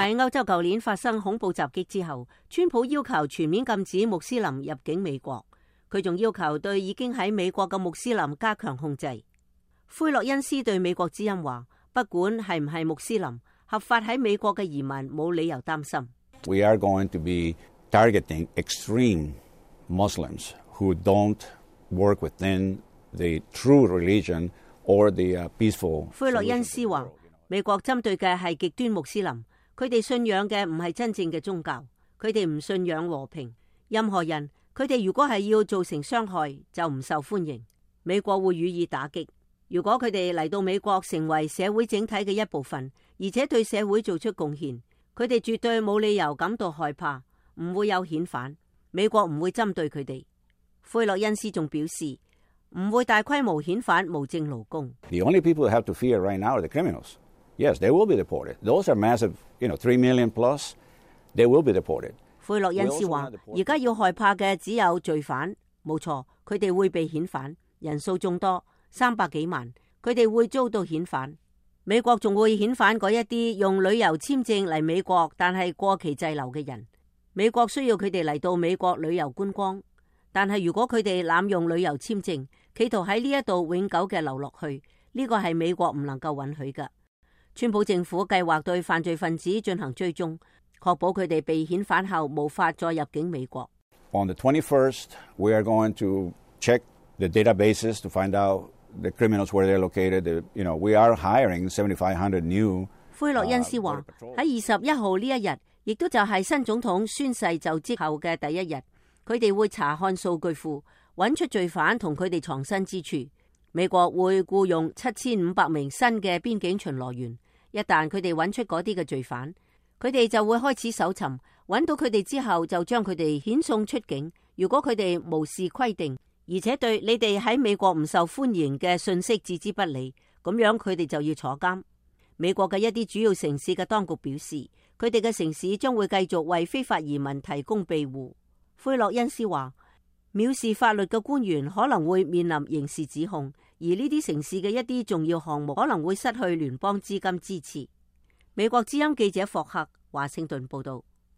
喺歐洲舊年發生恐怖襲擊之後，川普要求全面禁止穆斯林入境美國。佢仲要求對已經喺美國嘅穆斯林加強控制。奎洛恩斯對美國之音話，不管係唔係穆斯林，合法喺美國嘅移民冇理由擔心。We are going to be targeting extreme Muslims who don't work within the true religion or the peaceful。奎洛恩斯話，美國針對嘅係極端穆斯林，佢哋信仰嘅唔係真正嘅宗教，佢哋唔信仰和平。任何人，佢哋如果係要造成傷害，就唔受歡迎。美國會予以打擊。如果佢哋嚟到美國成為社會整體嘅一部分，而且對社會做出貢獻，佢哋絕對冇理由感到害怕，唔會有遣返。美國唔會針對佢哋。奎洛恩斯仲表示，唔會大規模遣返無證勞工。The only people who have to fear right now are the criminals. Yes, they will be deported. Those are massive, 3 million plus. They will be deported. 奎洛恩斯話，而家要害怕嘅只有罪犯，冇錯，佢哋會被遣返，人數眾多，300幾萬，佢哋會遭到遣返。美國仲會遣返嗰一啲用旅遊簽證嚟美國，但係過期滯留嘅人。美國需要佢哋嚟到美國旅遊觀光，但係如果佢哋濫用旅遊簽證，企圖喺呢一度永久嘅留落去，呢個係美國唔能夠允許嘅。川普政府計劃對犯罪分子進行追蹤，確保佢哋被遣返後無法再入境美國。On the 21st, we are going to check the databases to find out the criminals where they're located. We are hiring 7,500 new。奎洛恩斯話喺21號呢一日，亦都就係新總統宣誓就職後嘅第一日，佢哋會查看數據庫，揾出罪犯同佢哋藏身之處。美國會僱用7500名新嘅邊境巡邏員，一旦佢哋揾出嗰啲嘅罪犯，佢哋就會開始搜尋，揾到佢哋之後就將佢哋遣送出境。如果佢哋無視規定，而且對你哋喺美國唔受歡迎嘅信息置之不理，咁樣佢哋就要坐監。美國嘅一啲主要城市嘅當局表示，佢哋嘅城市將會繼續為非法移民提供庇護。奎洛恩斯話，藐視法律嘅官員可能會面臨刑事指控，而呢啲城市嘅一啲重要項目可能會失去聯邦資金支持。美國之音記者霍克華盛頓報道。